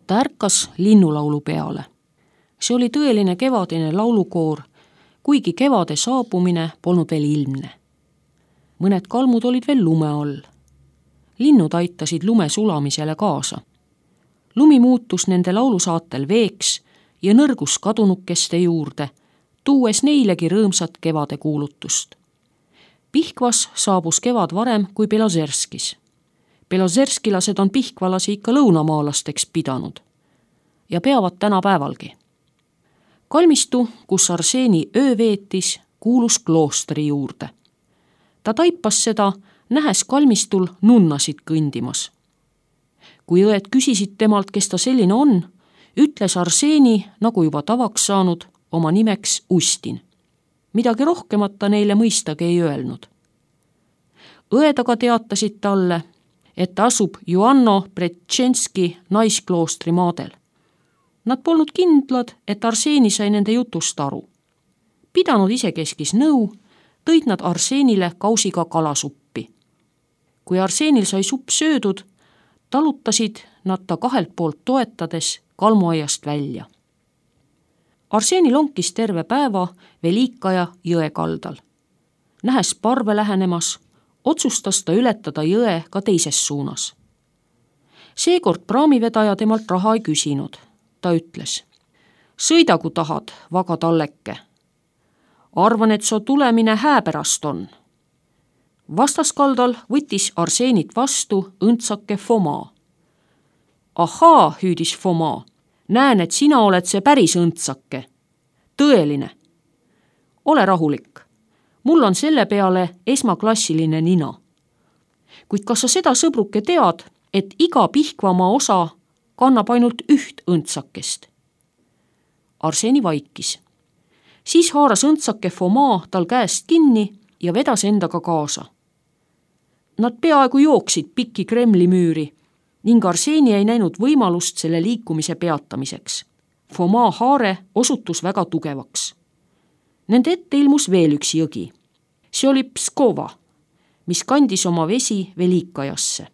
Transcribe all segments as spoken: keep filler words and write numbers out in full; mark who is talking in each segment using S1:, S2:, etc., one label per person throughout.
S1: Ta ärkas linnulaulu peale. See oli tõeline kevadine laulukoor, kuigi kevade saabumine polnud veel ilmne. Mõned kalmud olid veel lume all. Linnud aitasid lume sulamisele kaasa. Lumi muutus nende laulusaatel veeks ja nõrgus kadunukeste juurde, tuues neilegi rõõmsat kevade kuulutust. Pihkvas saabus kevad varem kui Belozerskis. Belozerskilased on pihkvalasi ikka lõunamaalasteks pidanud ja peavad tänapäevalgi. Kalmistu, kus Arseni öö veetis, kuulus kloostri juurde. Ta taipas seda, nähes kalmistul nunnasid kõndimas. Kui õed küsisid temalt, kes ta selline on, ütles Arseni, nagu juba tavaks saanud, oma nimeks Ustin. Midagi rohkemat ta neile mõistagi ei öelnud. Õed aga teatasid talle, et ta asub Joanno Pretšenski naiskloostri maadel. Nad polnud kindlad, et Arseni sai nende jutust aru. Pidanud isekeskis nõu, tõid nad Arsenile kausiga kalasuppi. Kui Arsenil sai supp söödud, talutasid nad ta kahelt poolt toetades kalmuaiast välja. Arseni lonkis terve päeva Velikaja jõe kaldal. Nähes parve lähenemas, otsustas ta ületada jõe ka teises suunas. Seekord praamivedaja temalt raha ei küsinud. Ta ütles, sõida kui tahad, vaga talleke. Arvan, et su tulemine hääpärast on. Vastaskaldal võttis Arsenit vastu õndsake Foma. Ahaa, hüüdis Foma, näen, et sina oled see päris õndsake. Tõeline. Ole rahulik. Mul on selle peale esmaklassiline nina. Kuid kas sa seda sõbruke tead, et iga Pihkvamaa osa kannab ainult üht õndsakest? Arseni vaikis. Siis haaras õndsake Foma tal käest kinni ja vedas endaga kaasa. Nad peaaegu jooksid pikki Kremli müüri ning Arseni ei näinud võimalust selle liikumise peatamiseks. Foma haare osutus väga tugevaks. Nende ette ilmus veel üks jõgi. See oli Pskova, mis kandis oma vesi Velikajasse.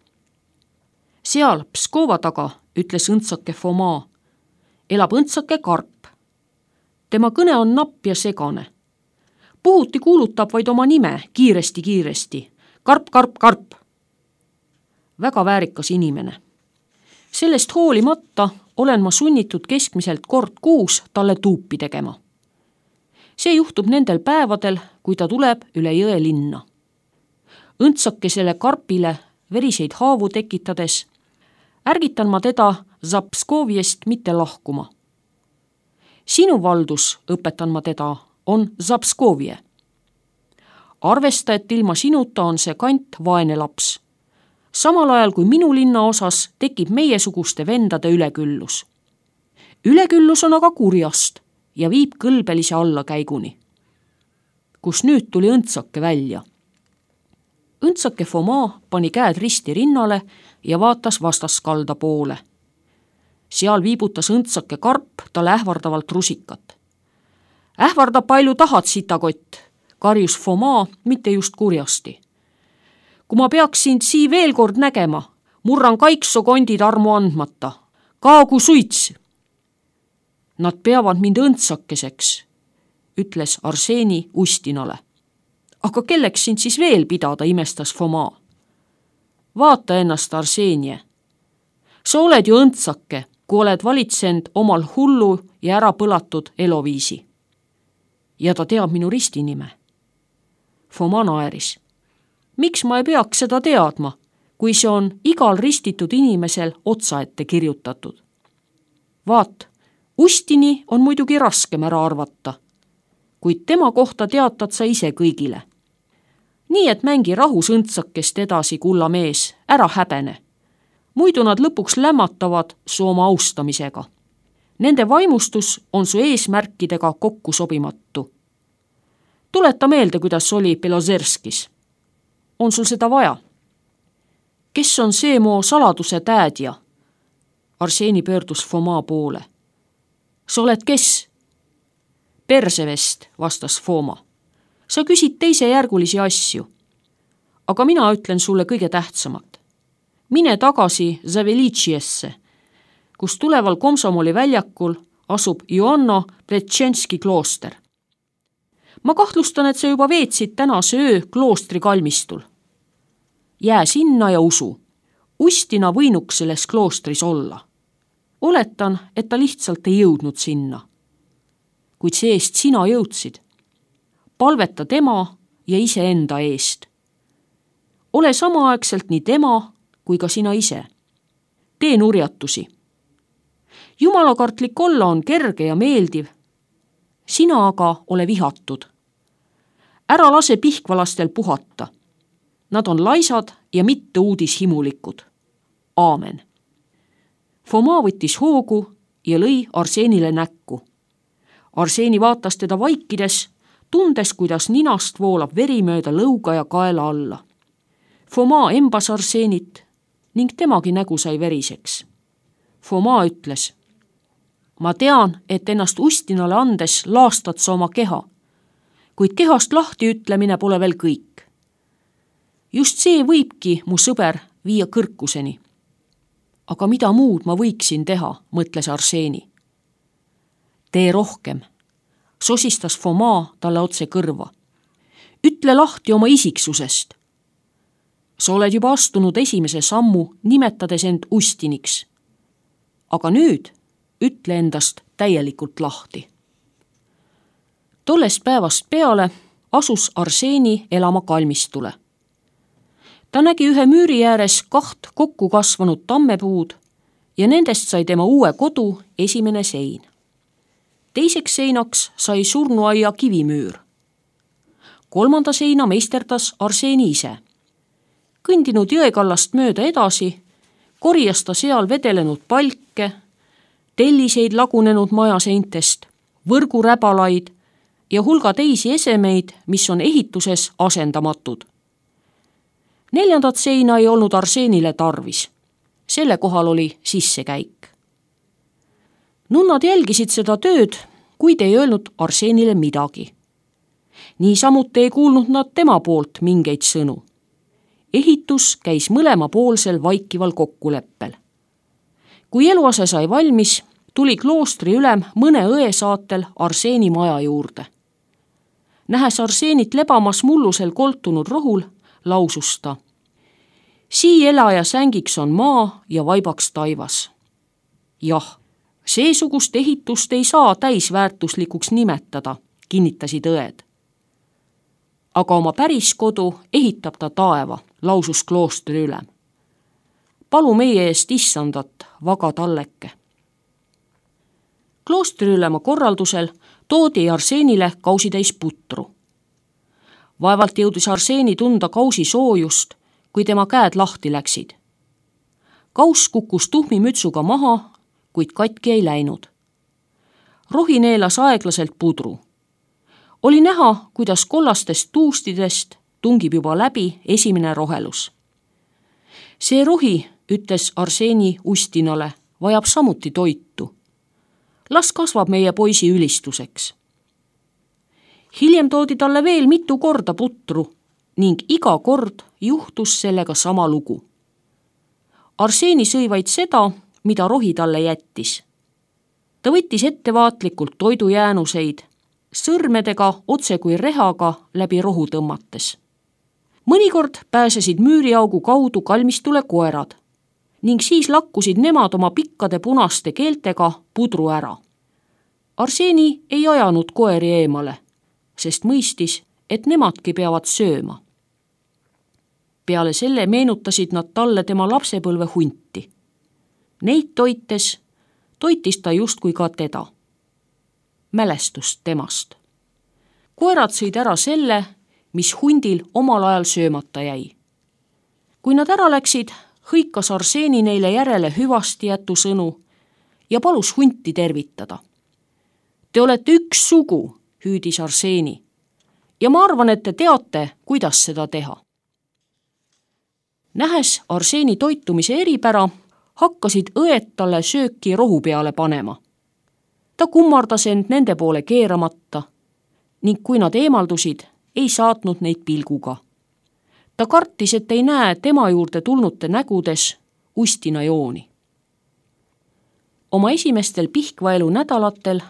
S1: Seal Pskova taga, ütles õndsake Foma, elab õndsake Karp. Tema kõne on napp ja segane. Puhuti kuulutab vaid oma nime kiiresti-kiiresti. Karp, karp, karp. Väga väärikas inimene. Sellest hoolimata olen ma sunnitud keskmiselt kord kuus talle tuupi tegema. See juhtub nendel päevadel, kui ta tuleb üle jõe linna. Õndsakesele Karpile veriseid haavu tekitades ärgitan ma teda Zapskoviest mitte lahkuma. Sinu valdus, õpetan ma teda, on Zapskovie. Arvesta, et ilma sinuta on see kant vaene laps. Samal ajal kui minu linna osas tekib meiesuguste vendade üleküllus. Üleküllus on aga kurjast ja viib kõlbelise allakäiguni. Kus nüüd tuli õndsake välja. Õndsake Foma pani käed risti rinnale ja vaatas vastaskalda poole. Seal viibutas õndsake Karp talle ähvardavalt rusikat. Ähvarda palju tahad, sitakott, karjus Foma mitte just kurjasti. Kui ma peaks sind sii veel kord nägema, murran kaikso kondid armu andmata. Kaagu suits! Nad peavad mind õndsakeseks, ütles Arseni Ustinale. Aga kelleks sind siis veel pidada, imestas Foma. Vaata ennast, Arsenie. Sa oled ju õndsake, kui oled valitsend omal hullu ja ära põlatud eloviisi. Ja ta teab minu ristinime. Foma naeris. Miks ma ei peaks seda teadma, kui see on igal ristitud inimesel otsa ette kirjutatud? Vaat, Ustini on muidugi raskem ära arvata, kuid tema kohta teatad sa ise kõigile. Nii et mängi rahus õndsakest edasi, kulla mees, ära häbene. Muidu nad lõpuks lämmatavad su oma austamisega. Nende vaimustus on su eesmärkidega kokku sobimatu. Tuleta meelde, kuidas oli Belozerskis. On sul seda vaja? Kes on see mu saladuse täädja? Arseni pöördus Foma poole. Sa oled kes? Persevest, vastas Foma. Sa küsid teisejärgulisi asju. Aga mina ütlen sulle kõige tähtsamat. Mine tagasi Zaveličiesse, kus tuleval Komsomoli väljakul asub Joanna Pletšenski klooster. Ma kahtlustan, et sa juba veetsid tänase öö kloostri kalmistul. Jää sinna ja usu. Ustina võinuks selles kloostris olla. Oletan, et ta lihtsalt ei jõudnud sinna. Kuid see eest sina jõudsid. Palveta tema ja iseenda eest. Ole samaaegselt nii tema kui ka sina ise. Tee nurjatusi. Jumalakartlik olla on kerge ja meeldiv. Sina aga ole vihatud. Ära lase pihkvalastel puhata. Nad on laisad ja mitte uudishimulikud. Aamen. Foma võttis hoogu ja lõi Arseenile näkku. Arseeni vaatas teda vaikides, tundes, kuidas ninast voolab veri mööda lõuga ja kaela alla. Foma embas Arseenit ning temagi nägu sai veriseks. Foma ütles, ma tean, et ennast Ustinale andes laastad sa oma keha, kuid kehast lahti ütlemine pole veel kõik. Just see võibki, mu sõber, viia kõrkuseni. Aga mida muud ma võiksin teha, mõtles Arseeni. Tee rohkem, sosistas Foma talle otse kõrva. Ütle lahti oma isiksusest. Sa oled juba astunud esimese sammu, nimetades end Ustiniks. Aga nüüd ütle endast täielikult lahti. Tollest päevast peale asus Arseeni elama kalmistule. Ta nägi ühe müüri ääres kaht kokku kasvanud tammepuud ja nendest sai tema uue kodu esimene sein. Teiseks seinaks sai surnuaia kivimüür. Kolmanda seina meisterdas Arseeni ise. Kõndinud jõekallast mööda edasi, korjas ta seal vedelenud palke, telliseid lagunenud majaseintest, võrguräbalaid ja hulga teisi esemeid, mis on ehituses asendamatud. Neljandat seina ei olnud Arseenile tarvis. Selle kohal oli sissekäik. Nunnad jälgisid seda tööd, kuid ei öelnud Arseenile midagi. Niisamuti ei kuulnud nad tema poolt mingeid sõnu. Ehitus käis mõlemapoolsel vaikival kokkuleppel. Kui eluase sai valmis, tuli kloostri ülem mõne õe saatel Arseeni maja juurde. Nähes Arseenit lebamas mullusel koltunud rohul, lausus ta. Sii elaja sängiks on maa ja vaibaks taivas. Jah, seesugust ehitust ei saa täisväärtuslikuks nimetada, kinnitasid õed. Aga oma päris kodu ehitab ta taeva, lausus kloostri ülem. Palu meie eest issandat, vaga talleke. Kloostri ülema korraldusel toodi Arseenile kausitäis putru. Vaevalt jõudis Arseeni tunda kausi soojust, kui tema käed lahti läksid. Kaus kukkus tuhmi mütsuga maha, kuid katki ei läinud. Rohi neelas aeglaselt pudru. Oli näha, kuidas kollastest tuustidest tungib juba läbi esimene rohelus. See rohi, ütles Arseeni Ustinale, vajab samuti toitu. Las kasvab meie poisi ülistuseks. Hiljem toodi talle veel mitu korda putru ning iga kord juhtus sellega sama lugu. Arseeni sõi vaid seda, mida rohi talle jättis. Ta võttis ettevaatlikult toidujäänuseid, sõrmedega otse kui rehaga läbi rohu tõmmates. Mõnikord pääsesid müüriaugu kaudu kalmistule koerad ning siis lakkusid nemad oma pikkade punaste keeltega pudru ära. Arseeni ei ajanud koeri eemale, sest mõistis, et nemadki peavad sööma. Peale selle meenutasid nad talle tema lapsepõlve hunti. Neid toites, toitis ta justkui ka teda. Mälestust temast. Koerad sõid ära selle, mis hundil omal ajal söömata jäi. Kui nad ära läksid, hõikas Arseeni neile järele hüvasti jätu sõnu ja palus hunti tervitada. Te olete üks sugu, hüüdis Arseeni, ja ma arvan, et te teate, kuidas seda teha. Nähes Arseeni toitumise eripära, hakkasid õed talle sööki rohu peale panema. Ta kummardas end nende poole keeramata ning kui nad eemaldusid, ei saatnud neid pilguga. Ta kartis, et ei näe tema juurde tulnute nägudes Ustina jooni. Oma esimestel pihkvaelu nädalatel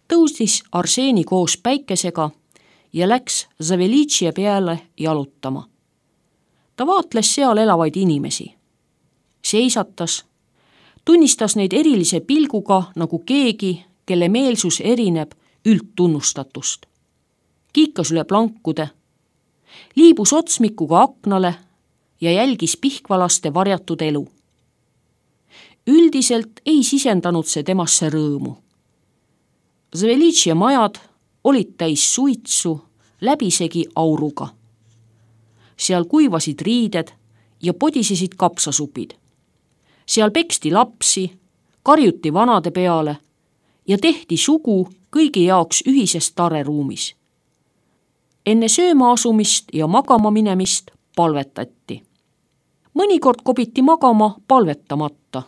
S1: tõusis Arseeni koos päikesega ja läks Zavelitšia peale jalutama. Ta vaatles seal elavaid inimesi. Seisatas, tunnistas neid erilise pilguga nagu keegi, kelle meelsus erineb üldtunnustatust. Kiikas üle plankude, liibus otsmikuga aknale ja jälgis pihkvalaste varjatud elu. Üldiselt ei sisendanud see temasse rõõmu. Zavelitšia majad olid täis suitsu, läbisegi auruga. Seal kuivasid riided ja podisesid kapsasupid. Seal peksti lapsi, karjuti vanade peale ja tehti sugu kõigi jaoks ühises tareruumis. Enne sööma asumist ja magama minemist palvetati. Mõnikord kobiti magama palvetamata,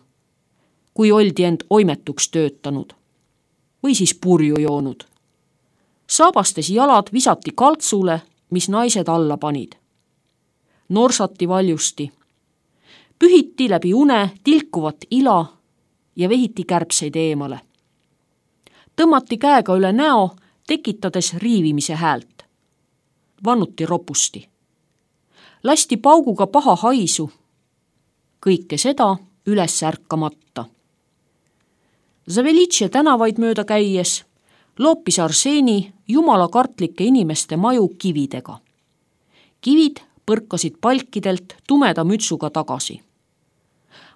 S1: kui oldi end oimetuks töötanud või siis purju joonud. Saabastes jalad visati kaltsule, mis naised alla panid. Norsati valjusti. Pühiti läbi une tilkuvat ila ja vehiti kärbseid eemale. Tõmmati käega üle näo, tekitades riivimise häält. Vannuti ropusti. Lasti pauguga paha haisu. Kõike seda üles ärkamata. Zavelitšia tänavaid mööda käies loopis Arseeni jumalakartlike inimeste maju kividega. Kivid põrkasid palkidelt tumeda mütsuga tagasi.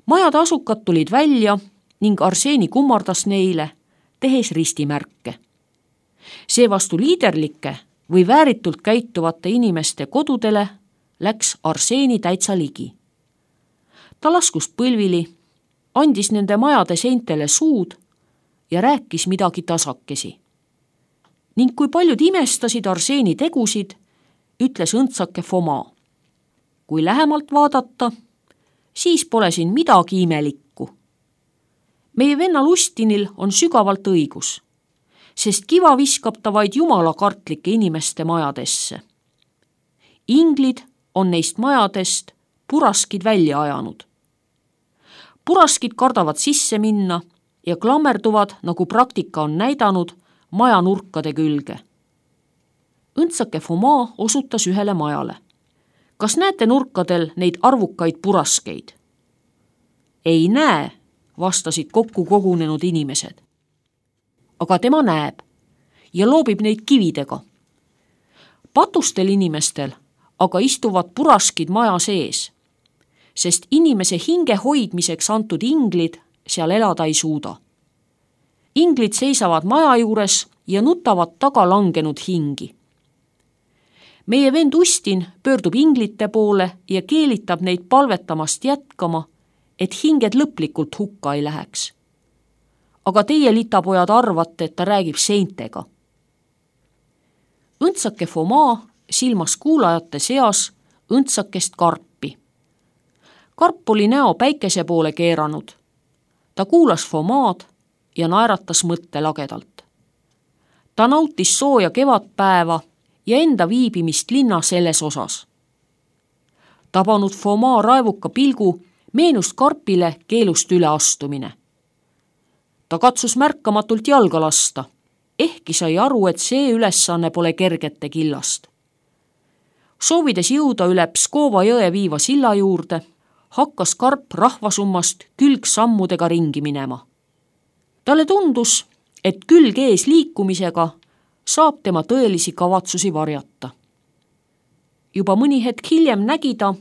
S1: Majade asukad tulid välja ning Arseeni kummardas neile, tehes ristimärke. Seevastu liiderlike või vääritult käituvate inimeste kodudele läks Arseeni täitsa ligi. Ta laskus põlvili, andis nende majade seintele suud ja rääkis midagi tasakesi. Ning kui paljud imestasid Arseeni tegusid, ütles õndsake Foma. Kui lähemalt vaadata, siis pole siin midagi imelikku. Meie venna Lustinil on sügavalt õigus, sest kiva viskab ta vaid jumalakartlike inimeste majadesse. Inglid on neist majadest puraskid välja ajanud. Puraskid kardavad sisse minna ja klammerduvad, nagu praktika on näidanud, maja nurkade külge. Õndsake Foma osutas ühele majale. Kas näete nurkadel neid arvukaid puraskeid? Ei näe, vastasid kokku kogunenud inimesed. Aga tema näeb ja loobib neid kividega. Patustel inimestel aga istuvad puraskid maja sees, sest inimese hinge hoidmiseks antud inglid seal elada ei suuda. Inglid seisavad maja juures ja nutavad taga langenud hingi. Meie vend Ustin pöördub inglite poole ja keelitab neid palvetamast jätkama, et hinged lõplikult hukka ei läheks. Aga teie litapojad arvate, et ta räägib seintega. Õndsake Foma silmas kuulajate seas õndsakest karpi. Karp oli näo päikese poole keeranud. Ta kuulas Fomaad ja naeratas mõtte lagedalt. Ta nautis sooja kevadpäeva ja enda viibimist linna selles osas. Tabanud Foma raevuka pilgu meenus Karpile keelust üle astumine. Ta katsus märkamatult jalga lasta, ehkki sai aru, et see ülesanne pole kergete killast. Soovides jõuda üle Pskova jõe viiva silla juurde, hakkas Karp rahvasummast külgsammudega ringi minema. Talle tundus, et külg ees liikumisega saab tema tõelisi kavatsusi varjata. Juba mõni hetk hiljem nägi ta,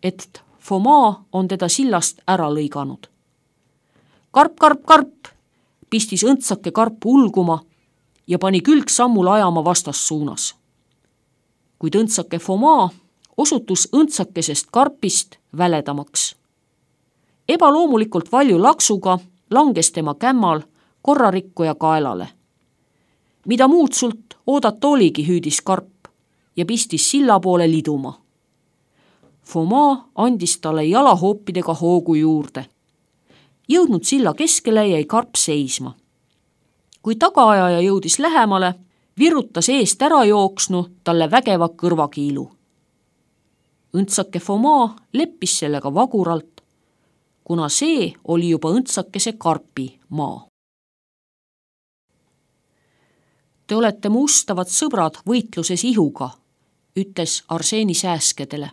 S1: et Foma on teda sillast ära lõiganud. Karp, karp, karp, pistis õndsake Karp ulguma ja pani külgsammul ajama vastassuunas. Kuid õndsake Foma osutus õndsakesest Karpist väledamaks. Ebaloomulikult valju laksuga langes tema kämmal korrarikkuja kaelale. Mida muud sult oodata oligi, hüüdis Karp ja pistis silla poole liduma. Foma andis talle jalahoopidega hoogu juurde. Jõudnud silla keskele jäi Karp seisma. Kui tagaajaja jõudis lähemale, virutas eest ära jooksnu talle vägeva kõrvakiilu. Õndsake Foma leppis sellega vaguralt, kuna see oli juba õndsakese Karpi maa. Te olete mu ustavad sõbrad võitluses ihuga, ütles Arseeni sääskedele.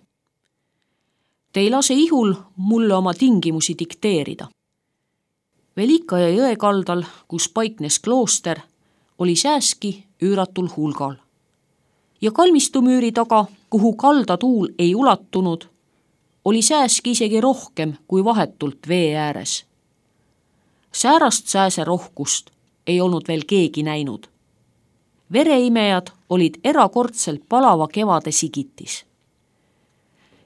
S1: Te ei lase ihul mulle oma tingimusi dikteerida. Velikaja jõe kaldal, kus paiknes klooster, oli sääski üüratul hulgal. Ja kalmistumüüri taga, kuhu kaldatuul ei ulatunud, oli sääski isegi rohkem kui vahetult vee ääres. Säärast sääse rohkust ei olnud veel keegi näinud. Vereimejad olid erakordselt palava kevade sigitis.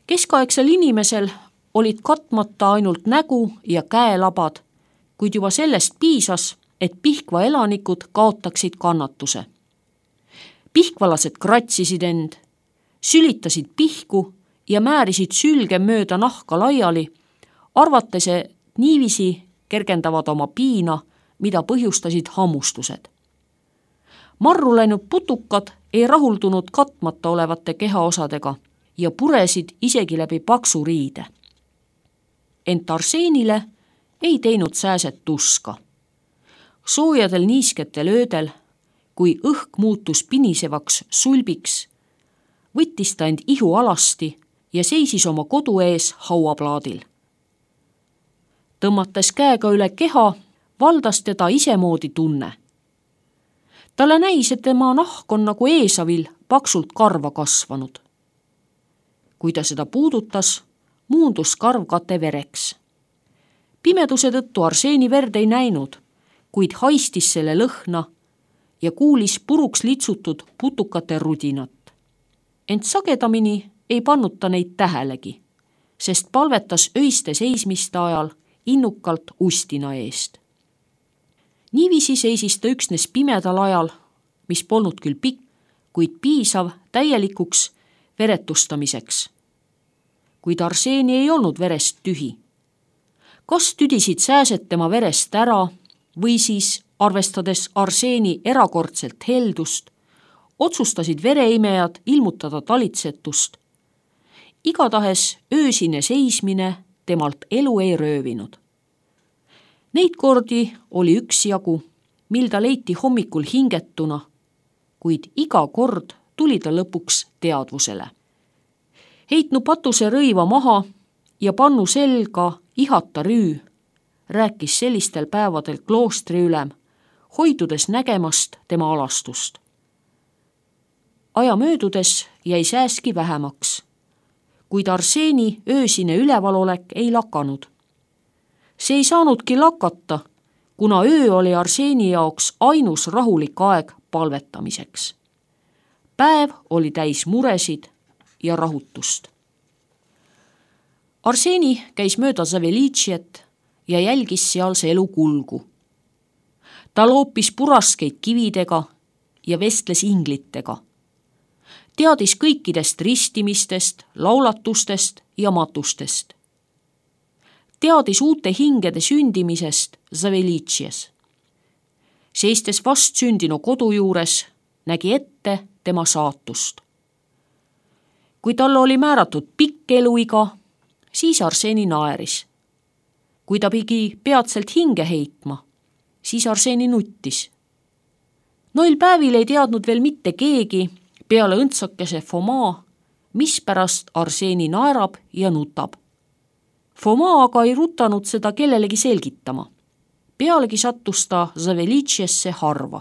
S1: Keskaegsel inimesel olid katmata ainult nägu ja käelabad, kuid juba sellest piisas, et Pihkva elanikud kaotaksid kannatuse. Pihkvalased kratsisid end, sülitasid pihku ja määrisid sülge mööda nahka laiali, arvates niiviisi kergendavad oma piina, mida põhjustasid hammustused. Marru läinud putukad ei rahuldunud katmata olevate kehaosadega ja puresid isegi läbi paksu riide. Ent Arseenile ei teinud sääset tuska. Soojadel niisketel öödel, kui õhk muutus pinisevaks sulbiks, võttis ta end ihu alasti ja seisis oma kodu ees hauaplaadil. Tõmmates käega üle keha, valdas teda isemoodi tunne. Talle näis, et tema nahk on nagu Eesavil paksult karva kasvanud. Kui ta seda puudutas, muundus karv kate vereks. Pimeduse tõttu Arseeni verd ei näinud, kuid haistis selle lõhna ja kuulis puruks litsutud putukate rudinat. Ent sagedamini ei pannud ta neid tähelegi, sest palvetas öiste seismiste ajal innukalt ustina eest. Niiviisi seisis ta üksnes pimedal ajal, mis polnud küll pikk, kuid piisav täielikuks veretustamiseks. Kuid Arseeni ei olnud verest tühi. Kas tüdisid sääsed tema verest ära või siis, arvestades Arseeni erakordselt heldust, otsustasid vereimejad ilmutada talitsetust. Igatahes öösine seismine temalt elu ei röövinud. Neid kordi oli üksjagu, mil ta leiti hommikul hingetuna, kuid iga kord tuli ta lõpuks teadvusele. Heitnu patuse rõiva maha ja pannu selga ihata rüü, rääkis sellistel päevadel kloostri ülem, hoidudes nägemast tema alastust. Aja möödudes jäi sääski vähemaks, kuid Arseeni öösine ülevalolek ei lakanud. See ei saanudki lakata, kuna öö oli Arseeni jaoks ainus rahulik aeg palvetamiseks. Päev oli täis muresid ja rahutust. Arseeni käis mööda Zavelitšiet ja jälgis sealse elu kulgu. Ta loopis puraskeid kividega ja vestles inglitega. Teadis kõikidest ristimistest, laulatustest ja matustest. Teadis uute hingede sündimisest Zavelitšies. Seistes vast sündinu kodu juures, nägi ette tema saatust. Kui talle oli määratud pikk eluiga, siis Arseeni naeris. Kui ta pidi peatselt hinge heitma, siis Arseeni nuttis. Noil päevil ei teadnud veel mitte keegi peale õndsakese Foma, mispärast Arseeni naerab ja nutab. Foma aga ei rutanud seda kellelegi selgitama. Pealegi sattus ta Zavelitšiesse harva.